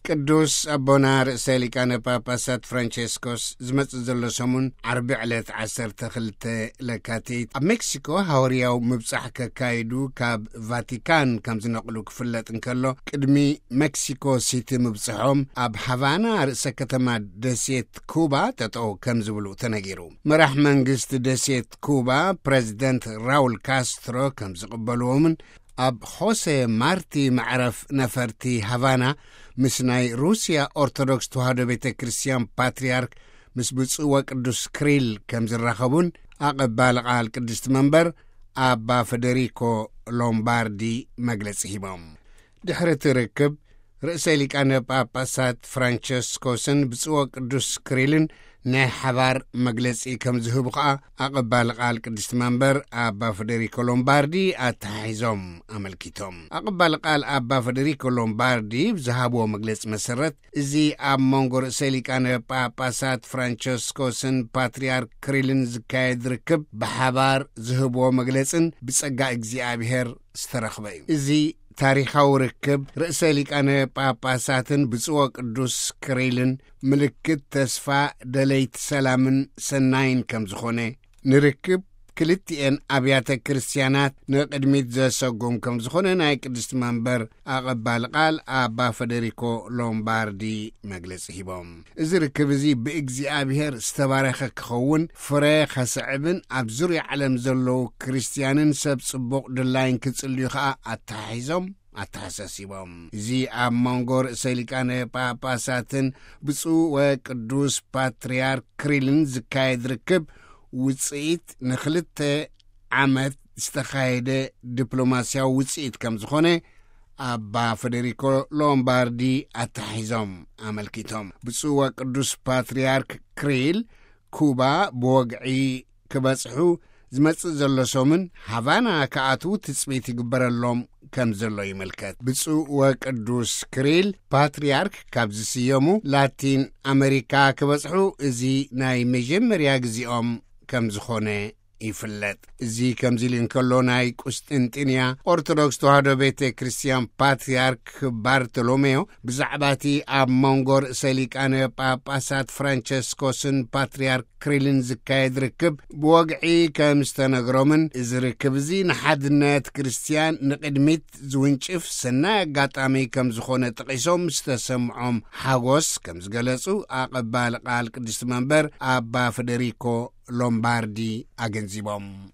ቅዱስ ኣቦና ርእሰ ሊቃነ ጳጳሳት ፍራንቸስኮስ ዝመጽእ ዘሎ ሰሙን ዓርቢ ዕለት ዓሰርተ ክልተ ለካቲት ኣብ ሜክሲኮ ሃዋርያዊ ምብጻሕ ከካይዱ ካብ ቫቲካን ከም ዝነቕሉ ክፍለጥ እንከሎ፣ ቅድሚ ሜክሲኮ ሲቲ ምብጽሖም ኣብ ሃቫና ርእሰ ከተማ ደሴት ኩባ ጠጠው ከም ዝብሉ ተነጊሩ። መራሕ መንግስቲ ደሴት ኩባ ፕሬዚደንት ራውል ካስትሮ ከም ዝቕበልዎምን ኣብ ሆሴ ማርቲ መዕረፍ ነፈርቲ ሃቫና ምስ ናይ ሩስያ ኦርቶዶክስ ተዋህዶ ቤተ ክርስቲያን ፓትርያርክ ምስ ብፁዕ ወቅዱስ ክሪል ከም ዝራኸቡን ኣቐባሊ ቃል ቅድስቲ መንበር ኣባ ፈደሪኮ ሎምባርዲ መግለጺ ሂቦም። ድሕሪ እቲ ርክብ ርእሰ ሊቃነ ጳጳሳት ፍራንቸስኮስን ብፁዕ ወቅዱስ ክሪልን ናይ ሓባር መግለጺ ከም ዝህቡ ከኣ ኣቐባሊ ቃል ቅድስቲ መንበር ኣባ ፈደሪኮ ሎምባርዲ ኣተሓሒዞም ኣመልኪቶም። ኣቐባሊ ቃል ኣባ ፈደሪኮ ሎምባርዲ ብዝሃብዎ መግለጺ መሰረት፣ እዚ ኣብ መንጎ ርእሰ ሊቃነ ጳጳሳት ፍራንቸስኮስን ፓትርያርክ ክሪልን ዝካየድ ርክብ ብሓባር ዝህብዎ መግለጽን ብጸጋ እግዚኣብሔር ዝተረኽበ እዩ። እዚ ታሪኻዊ ርክብ ርእሰ ሊቃነ ጳጳሳትን ብፁዕ ወቅዱስ ክሪልን ምልክት ተስፋ፣ ደለይቲ ሰላምን ሰናይን ከም ዝኾነ፣ ንርክብ ክልቲኤን ኣብያተ ክርስቲያናት ንቕድሚት ዘሰጉም ከም ዝኾነ ናይ ቅድስቲ መንበር ኣቐባሊ ቃል ኣባ ፈደሪኮ ሎምባርዲ መግለጺ ሂቦም። እዚ ርክብ እዚ ብእግዚኣብሔር ዝተባረኸ ክኸውን፣ ፍረ ከስዕብን ኣብ ዙርያ ዓለም ዘለዉ ክርስትያንን ሰብ ጽቡቕ ድላይን ክጽልዩ ከኣ ኣተሓሒዞም ኣተሓሳሲቦም። እዚ ኣብ መንጎ ርእሰ ሊቃነ ጳጳሳትን ብፁዕ ወቅዱስ ፓትርያርክ ክሪልን ዝካየድ ርክብ ውጽኢት ንኽልተ ዓመት ዝተኻየደ ዲፕሎማስያዊ ውጽኢት ከም ዝኾነ ኣባ ፈደሪኮ ሎምባርዲ ኣተሓሒዞም ኣመልኪቶም። ብፁዕ ወቅዱስ ፓትርያርክ ክሪል ኩባ ብወግዒ ክበጽሑ ዝመጽእ ዘሎ ሰሙን ሃቫና ክኣትዉ ትጽቢት ይግበረሎም ከም ዘሎ ይምልከት። ብፁዕ ወቅዱስ ክሪል ፓትርያርክ ካብ ዝስየሙ ላቲን ኣመሪካ ክበጽሑ እዚ ናይ መጀመርያ ግዜኦም ከም ዝኾነ ይፍለጥ። እዚ ከምዚ ኢሉ እንከሎ፣ ናይ ቁስጥንጥንያ ኦርቶዶክስ ተዋህዶ ቤተ ክርስቲያን ፓትርያርክ ባርቶሎሜዮ ብዛዕባ እቲ ኣብ መንጎ ርእሰ ሊቃነ ጳጳሳት ፍራንቸስኮስን ፓትርያርክ ክሪልን ዝካየድ ርክብ ብወግዒ ከም ዝተነግሮምን፣ እዚ ርክብ እዚ ንሓድነት ክርስትያን ንቕድሚት ዝውንጭፍ ሰናይ ኣጋጣሚ ከም ዝኾነ ጠቒሶም፣ ዝተሰምዖም ሓጎስ ከም ዝገለጹ ኣቐባሊ ቃል ቅድስቲ መንበር ኣባ ፈደሪኮ ሎምባርዲ ኣገንዚቦም።